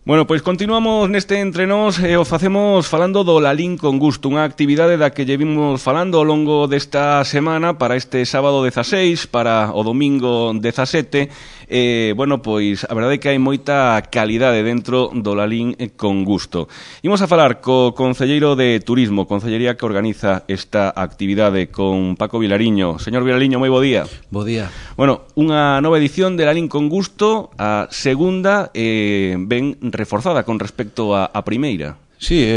Bueno, pois continuamos neste Entre Nós e o facemos falando do Lalín con Gusto, unha actividade da que lle vimos falando ao longo desta semana para este sábado 16, para o domingo 17. Bueno, pois a verdade é que hai moita calidade dentro do Lalín con Gusto. Imos a falar co concelleiro de Turismo, concellería que organiza esta actividade, con Paco Vilariño. Señor Vilariño, moi bo día. Bo día. Bueno, unha nova edición de Lalín con Gusto, a segunda, ben reforzada con respecto á primeira. Sí,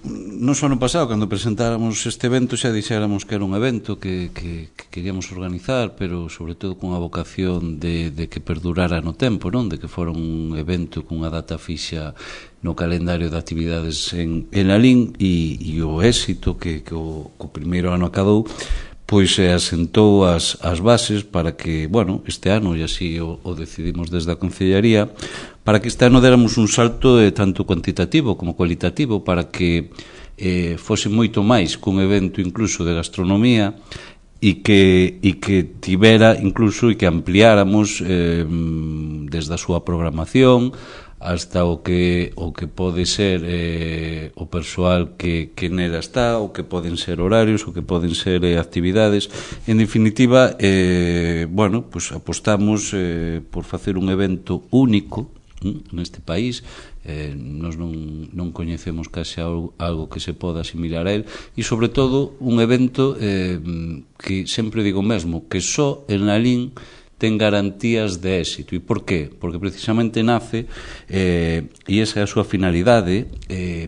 nos ano pasado, cando presentáramos este evento, xa dixéramos que era un evento que queríamos organizar, pero sobre todo cunha vocación de que perdurara no tempo, non? De que fora un evento cunha data fixa no calendario de actividades en Lalín, e o éxito que o primeiro ano acadou, pois asentou as bases para que, bueno, este ano, e así o decidimos desde a Concellaría, para que este ano déramos un salto tanto cuantitativo como cualitativo, para que fose moito máis cun evento incluso de gastronomía, e que tivera incluso e que ampliáramos desde a súa programación hasta o que pode ser o persoal que nela está, o que poden ser horarios, o que poden ser actividades. En definitiva, bueno, pues apostamos por facer un evento único neste país. Nos non coñecemos case algo que se poda asimilar a él, e sobre todo un evento que sempre digo mesmo, que só en Lalín ten garantías de éxito. E por qué? Porque precisamente nace, e esa é a súa finalidade,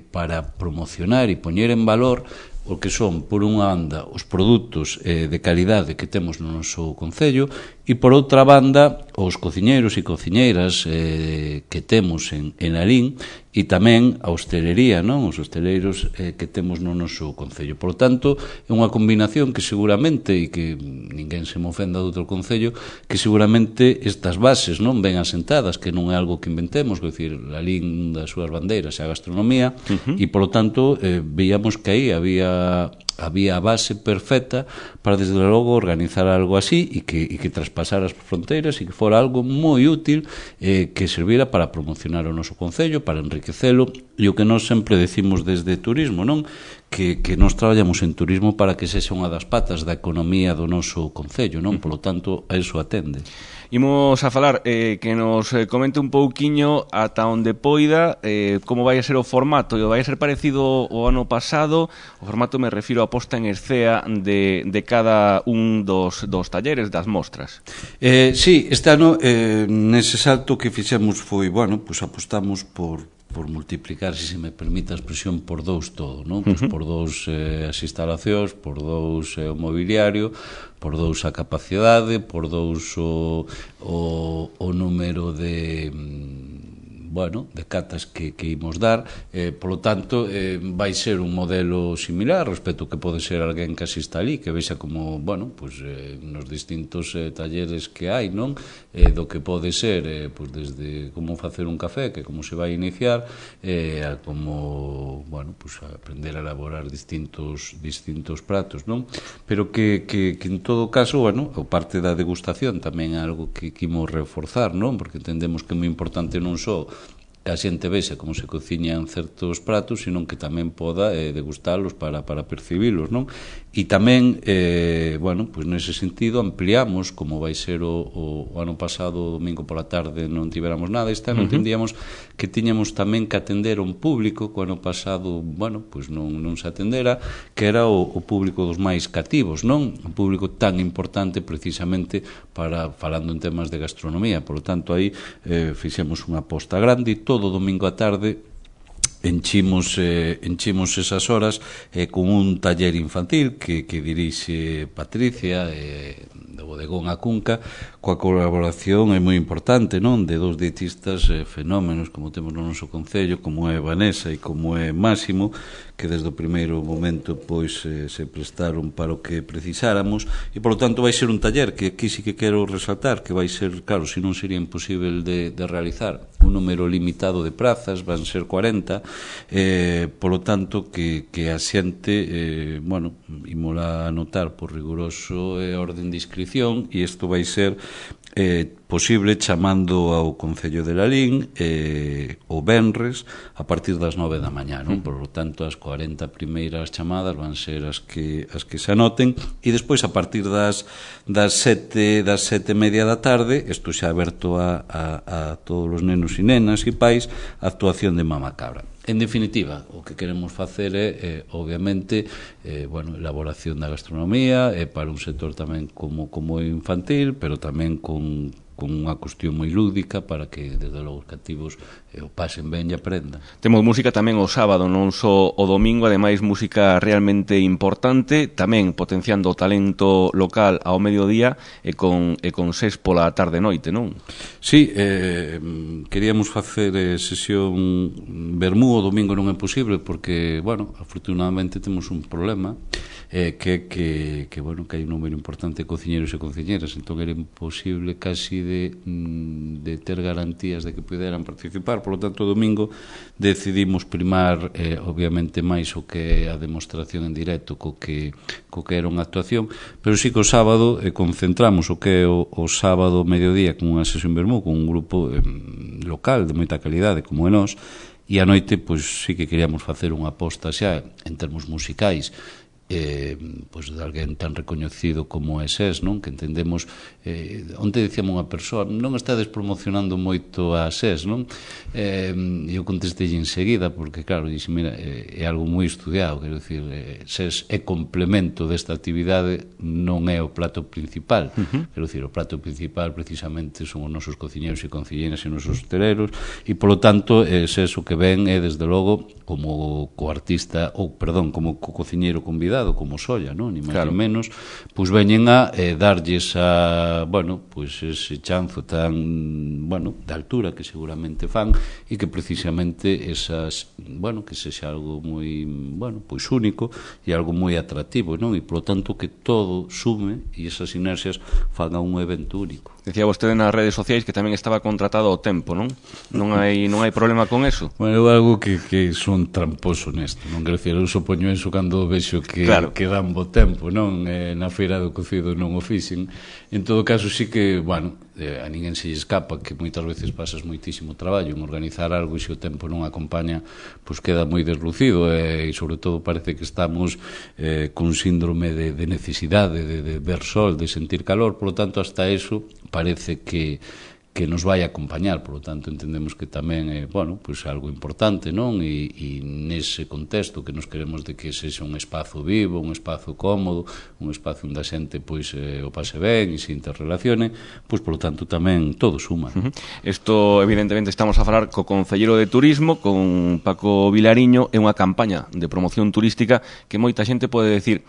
para promocionar e poñer en valor o que son, por unha banda, os produtos de calidade que temos no noso concello, e por outra banda, os cociñeiros e cociñeiras que temos en Lalín, e tamén a hostelería, non? Os hosteleiros que temos no noso concello. Por lo tanto, é unha combinación que seguramente, e que ninguén se me ofenda de outro concello, que seguramente estas bases non ben asentadas, que non é algo que inventemos, é dicir, Lalín das súas bandeiras é a gastronomía, e por lo tanto veíamos que aí había a base perfecta para, desde logo, organizar algo así e que traspasara as fronteiras e que fora algo moi útil, que servira para promocionar o noso concello, para enriquecelo, e o que nós sempre decimos desde turismo, non? Que nós traballamos en turismo para que sexa unha das patas da economía do noso concello, non? Por lo tanto, a eso atende. Imos a falar, que nos comente un pouquiño ata onde poida, como vai a ser o formato. Vai a ser parecido ao ano pasado? O formato me refiro a posta en escena de cada un dos talleres, das mostras. Sí, este ano, nese salto que fixemos foi, bueno, pues apostamos por multiplicar, se me permite a expresión, por dous todo, non? Pues por dous as instalacións, por dous o mobiliario, por dous a capacidade, por dous o número de de catas que imos dar. Por lo tanto, vai ser un modelo similar respecto que pode ser alguén que asista ali, que vexa como, nos distintos talleres que hai, non? Do que pode ser, desde como facer un café, que como se vai iniciar, a como, aprender a elaborar distintos pratos, non? Pero que en todo caso, a parte da degustación tamén é algo que imos reforzar, non? Porque entendemos que é moi importante non só a xente vexa como se cociñan certos pratos, senón que tamén poda degustalos para percibilos, non? E tamén, nese sentido ampliamos, como vai ser o ano pasado, o domingo pola tarde non tiveramos nada, este ano entendíamos que tiñamos tamén que atender un público que o ano pasado, non se atendera, que era o público dos máis cativos, non? Un público tan importante precisamente para, falando en temas de gastronomía. Por lo tanto, aí fixemos unha aposta grande, e todo domingo á tarde enchimos esas horas con un taller infantil que dirixe Patricia, do Bodegón A Cunca, coa colaboración é moi importante, non? De dous dietistas fenómenos como temos no noso concello, como é Vanessa e como é Máximo, que desde o primeiro momento se prestaron para o que precisáramos, e por lo tanto vai ser un taller que aquí sí que quero resaltar, que vai ser, claro, se non sería imposible de realizar, un número limitado de prazas, van ser 40, por lo tanto que a xente, imola anotar por riguroso orden de inscripción, e isto vai ser posible chamando ao Concello de Lalín o venres a partir das 9 da mañá, non? Por lo tanto, as 40 primeiras chamadas van ser as que se anoten, e despois a partir das 7 e media da tarde, isto xa aberto a todos os nenos e nenas e pais, a actuación de Mama Cabra. En definitiva, o que queremos facer é, obviamente, elaboración da gastronomía, para un sector tamén como infantil, pero tamén con unha cuestión moi lúdica para que, desde logo, os cativos o pasen ben e aprendan. Temos música tamén o sábado, non só o domingo, ademais música realmente importante, tamén potenciando o talento local ao mediodía e con SES pola tarde-noite, non? Sí, queríamos facer sesión vermú, o domingo non é posible porque, afortunadamente temos un problema, que hai un número importante de cociñeros e cociñeras, entón era imposible casi de ter garantías de que puderan participar. Por lo tanto, o domingo decidimos primar obviamente máis o que é a demostración en directo co que era unha actuación, pero sí que o sábado concentramos o que é o sábado mediodía con unha sesión vermú con un grupo local de moita calidade como é nós, e a noite pois sí que queríamos facer unha aposta xa en termos musicais pois de alguén tan recoñecido como é SES, non? Que entendemos, onde dicíamos unha persoa, non estades promocionando moito a SES, non? E eu contestei enseguida, porque claro, dixen, mira, é algo moi estudiado, quero dicir, SES é complemento desta actividade, non é o plato principal, quero dicir, o plato principal precisamente son os nosos cociñeros e cociñeras e os nosos hosteleros, e polo tanto, SES o que ven é, desde logo, como co-artista, ou, perdón, como co-cociñeiro convidado, como Solla, non? Ni máis ni menos, pois veñen a darlles ese chanzo tan, de altura que seguramente fan, e que precisamente que sexa algo moi, único e algo moi atractivo, non? E polo tanto que todo sume e esas inercias fan a un evento único. Decía vostede nas redes sociais que tamén estaba contratado o tempo, non? Non hai problema con eso? Bueno, é algo que son tramposo nesto, non? Quero dicir, eu supoño eso cando vexo que dan bo tempo, non? Na feira do cocido non o fixen. En todo caso, sí que, a ninguén se lle escapa que moitas veces pasas moitísimo traballo en organizar algo e se o tempo non acompaña, pois queda moi deslucido e sobre todo parece que estamos con síndrome de necesidade de ver sol, de sentir calor, por lo tanto, hasta eso parece que nos vai acompañar, por lo tanto entendemos que tamén é, algo importante, non? E nese contexto que nos queremos de que sexa un espazo vivo, un espazo cómodo, un espazo onde a xente o pase ben e se interrelacione, pois por lo tanto tamén todo suma. Isto, evidentemente, estamos a falar co Concelleiro de Turismo, con Paco Vilariño, é unha campaña de promoción turística que moita xente pode decir: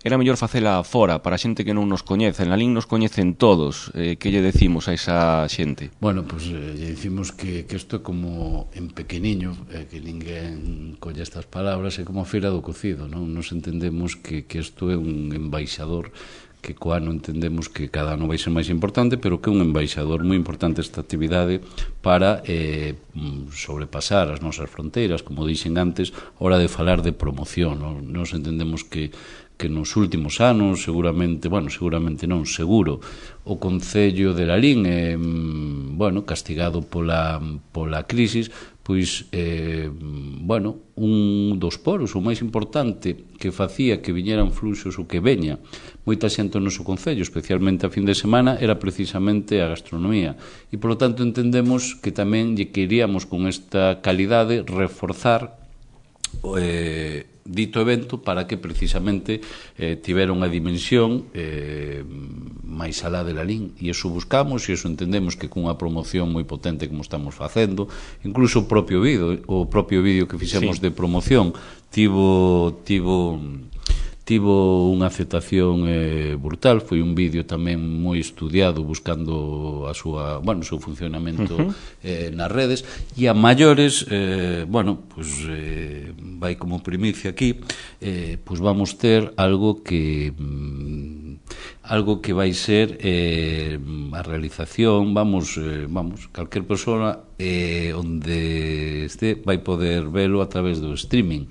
era mellor facela fora, para a xente que non nos coñece. En Lalín nos coñecen todos. Que lle decimos a esa xente? Bueno, pois lle dicimos que isto é como en pequeniño, que ninguén colle estas palabras, é como a feira do cocido, non? Nos entendemos que isto é un embaixador, que co ano entendemos que cada ano vai ser máis importante, pero que é un embaixador moi importante esta actividade para sobrepasar as nosas fronteiras, como dixen antes, hora de falar de promoción, non? Nos entendemos que nos últimos anos, seguramente non, seguro, o Concello de Lalín castigado pola crisis, pois, un dos poros, o máis importante que facía que viñeran fluxos ou que veña moita xente no noso Concello, especialmente a fin de semana, era precisamente a gastronomía. E, polo tanto, entendemos que tamén lle queríamos con esta calidade reforzar dito evento para que precisamente tivera unha dimensión máis alá de Lalín, e iso buscamos e iso entendemos que cunha promoción moi potente como estamos facendo, incluso o propio vídeo que fixemos de promoción tivo unha aceptación brutal. Foi un vídeo tamén moi estudiado buscando o seu funcionamento nas redes, e a maiores vai como primicia aquí, pois vamos ter algo que vai ser a realización, calquer persona onde este vai poder velo a través do streaming.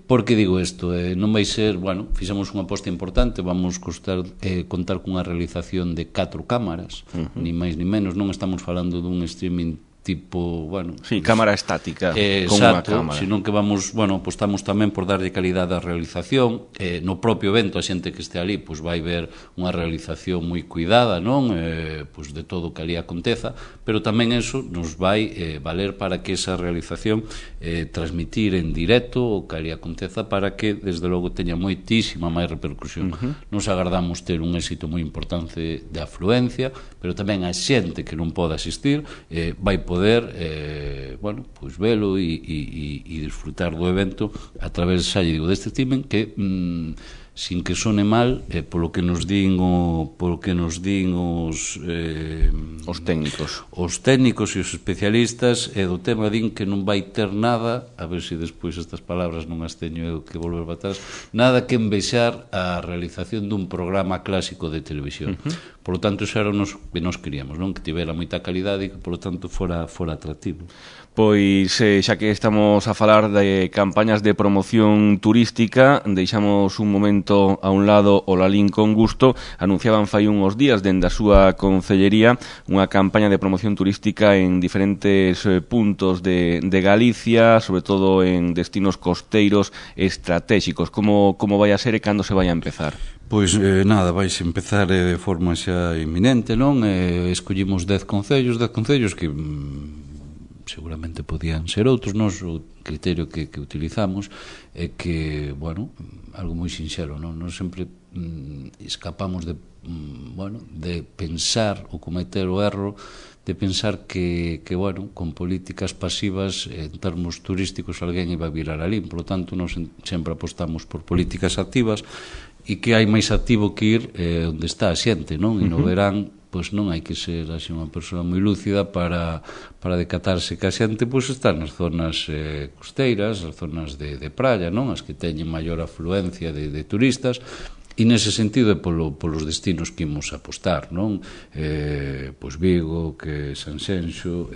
Por que digo isto? Non vai ser, bueno, fixemos unha aposta importante, vamos contar cunha realización de 4 cámaras, ni máis ni menos, non estamos falando dun streaming tipo, bueno... Sí, cámara estática, con unha cámara. Senón que vamos, bueno, apostamos tamén por darlle calidade á realización. No propio evento, a xente que este ali, pois vai ver unha realización moi cuidada, non? Pois de todo o que ali aconteza, pero tamén eso nos vai valer para que esa realización transmitir en directo o que ali aconteza para que, desde logo, teña moitísima máis repercusión. Nos agardamos ter un éxito moi importante de afluencia, pero tamén a xente que non pode asistir vai poder bueno, pois velo e disfrutar do evento a través, xa lle digo, deste streaming que sin que sone mal, polo que nos din os técnicos e os especialistas do tema, din que non vai ter nada, a ver se despois estas palabras non as teño eu que volver para atrás, nada que envexar a realización dun programa clásico de televisión. Por lo tanto, eso era o que nos queríamos, non? Que tivera moita calidade e que, por lo tanto, fora atractivo. Pois, xa que estamos a falar de campañas de promoción turística, deixamos un momento a un lado o Lalín con Gusto. Anunciaban fai uns días dende a súa concellería unha campaña de promoción turística en diferentes puntos de Galicia, sobre todo en destinos costeiros estratégicos. Como vai a ser e cando se vai a empezar? Pois nada, vais empezar de forma xa inminente, non? Escollimos 10 concellos que seguramente podían ser outros. Nós o criterio que utilizamos é que, bueno, algo moi sinxelo, non? Nós sempre escapamos de pensar ou cometer o erro de pensar que bueno, con políticas pasivas en termos turísticos alguén iba a virar alí. Por lo tanto, nós sempre apostamos por políticas activas e que hai máis activo que ir onde está a xente, non? E no verán, pois non hai que ser así unha persoa moi lúcida para decatarse que a xente pois está nas zonas costeiras, as zonas de praia, non? As que teñen maior afluencia de turistas. E nese sentido é polos destinos que imos apostar, non? Pois Vigo, que Sanxenxo,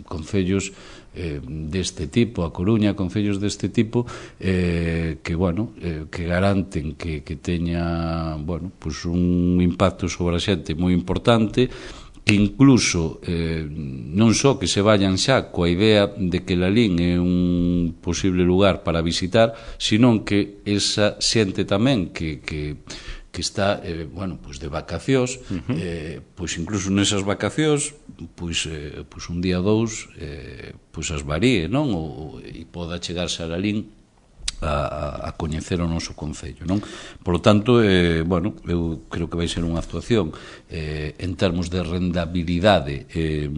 concellos deste tipo, a Coruña, concellos deste tipo que, bueno, que garanten que teña, bueno, pois un impacto sobre a xente moi importante, que incluso non só que se vayan xa coa idea de que Lalín é un posible lugar para visitar, senón que esa xente tamén que está, bueno, pois de vacacións, pois incluso nesas vacacións, pois un día ou dous, pois as varíe, non? E poda chegarse a Lalín a coñecer o noso concello, non? Por lo tanto, bueno, eu creo que vai ser unha actuación en termos de rendabilidade e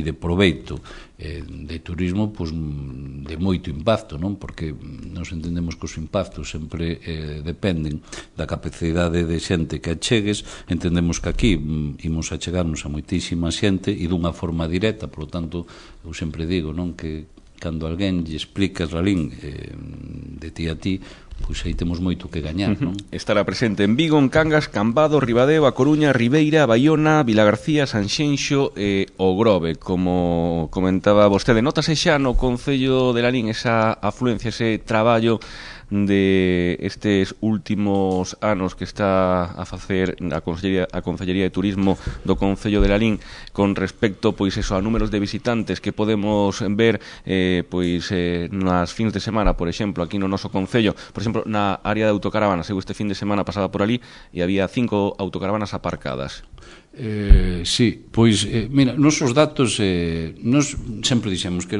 de proveito de turismo, pois de moito impacto, non? Porque nos entendemos que os impactos sempre dependen da capacidade de xente que achegues. Entendemos que aquí imos a chegarnos a moitísima xente e dunha forma directa. Por lo tanto, eu sempre digo, non, que cando alguén lle explicas Lalín de ti a ti, pois aí temos moito que gañar, non? Estará presente en Vigo, en Cangas, Cambados, Ribadeo, A Coruña, Ribeira, Baiona, Vilagarcía, Sanxenxo e O Grove. Como comentaba vostede, notase xa no concello de Lalín esa afluencia, ese traballo de estes últimos anos que está a facer a Concellería de Turismo do Concello de Lalín con respecto, pois eso, a números de visitantes que podemos ver pois nas fins de semana, por exemplo, aquí no noso concello. Por exemplo, na área de autocaravanas, eu este fin de semana pasaba por ali e había 5 autocaravanas aparcadas. Sí, pois mira, nosos datos nos sempre dixemos que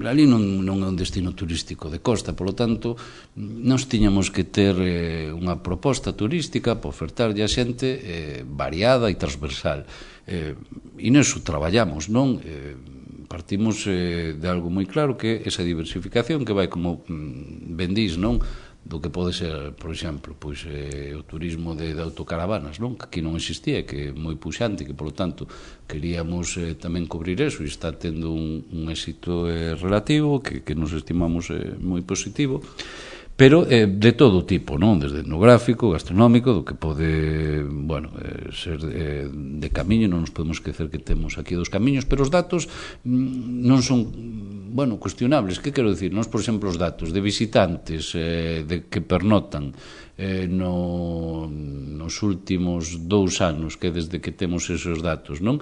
Lalín non é un destino turístico de costa, polo tanto nos tiñamos que ter unha proposta turística para ofertarlle a xente variada e transversal, e neso traballamos, non? Partimos de algo moi claro, que é esa diversificación que vai, como bendís, non? Do que pode ser, por exemplo, pois o turismo de autocaravanas, non? Que aquí non existía, que é moi puxante, que, polo tanto, queríamos tamén cubrir eso, e está tendo un éxito relativo, que nos estimamos moi positivo, pero de todo tipo, non? Desde etnográfico, gastronómico, do que pode, bueno, ser de camiño. Non nos podemos esquecer que temos aquí 2 camiños, pero os datos non son cuestionables. Que quero dicir? Nos, por exemplo, os datos de visitantes que pernotan nos últimos 2 anos, que desde que temos esos datos, non?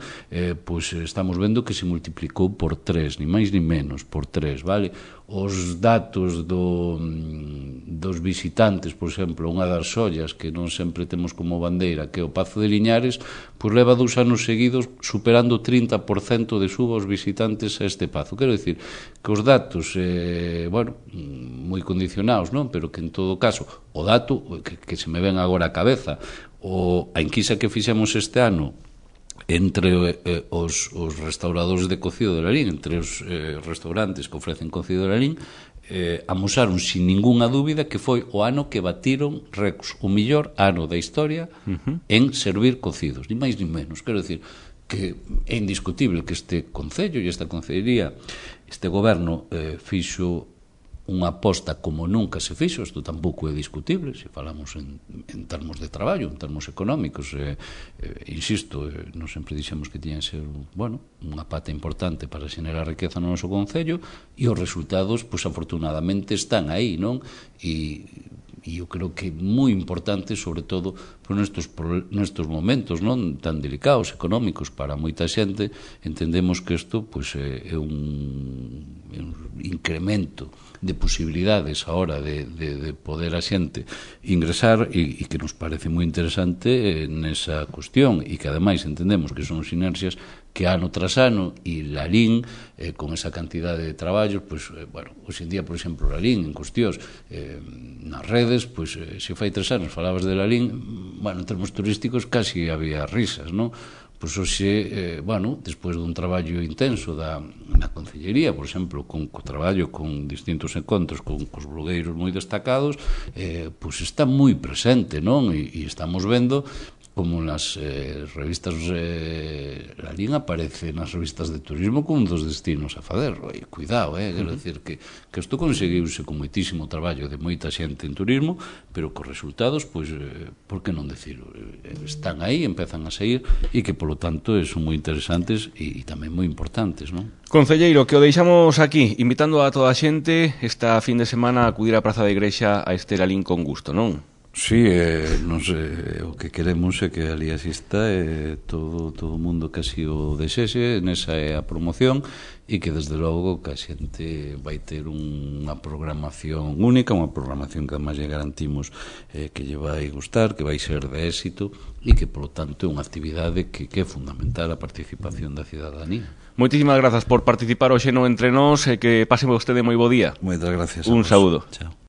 Pois estamos vendo que se multiplicou por 3, ni máis ni menos, por 3, vale? Os datos dos visitantes, por exemplo, unha das ollas que non sempre temos como bandeira, que é o Pazo de Liñares, pois leva 2 anos seguidos superando o 30% de suba os visitantes a este pazo. Quero dicir que os datos, moi condicionados, non? Pero que en todo caso, o dato que se me ven agora a cabeza, a enquisa que fixemos este ano entre os restauradores de cocido de Lalín, entre os restaurantes que ofrecen cocido de Lalín, amosaron sin ningunha dúbida que foi o ano que batiron récords, o mellor ano da historia en servir cocidos, ni máis ni menos. Quero dicir que é indiscutible que este Concello e esta Concellería, este goberno fixo unha aposta como nunca se fixo. Isto tampouco é discutible, se falamos en termos de traballo, en termos económicos. Insisto, non sempre dixemos que tiña que ser unha pata importante para xenerar riqueza no noso Concello, e os resultados, pois afortunadamente, están aí, non? E eu creo que é moi importante, sobre todo nestes momentos non tan delicados, económicos para moita xente. Entendemos que isto pois é un incremento de posibilidades a hora de poder a xente ingresar, e que nos parece moi interesante nesa cuestión, e que ademais entendemos que son sinerxias que ano tras ano, e Lalín con esa cantidade de traballos, pois, hoxe en día, por exemplo, Lalín en cuestións nas redes, pois, se fai 3 anos falabas de Lalín, en termos turísticos casi había risas, non? Pois hoxe, despois dun traballo intenso na Concellería, por exemplo, co traballo con distintos encontros cos blogueiros moi destacados, pois está moi presente, non? E estamos vendo como nas revistas Lalín aparece nas revistas de turismo como un dos destinos a fazer. Cuidado, quero dicir que isto conseguiuse con moitísimo traballo de moita xente en turismo, pero cos resultados, pois, por que non decirlo? Están aí, empezan a sair, e que, polo tanto, son moi interesantes e tamén moi importantes, non? Concelleiro, que o deixamos aquí, invitando a toda a xente esta fin de semana a acudir á Praza da Igrexa a este Lalín con Gusto, non? Sí, o que queremos é que ali asista todo o mundo que así o desexe, nesa é a promoción, e que desde logo que a xente vai ter unha programación única, unha programación que además lle garantimos que lle vai gustar, que vai ser de éxito, e que, polo tanto, é unha actividade que é fundamental a participación da cidadanía. Moitísimas grazas por participar hoxe no Entre Nós, e que pase vostede moi bo día. Moitas gracias. Un saúdo. Chao.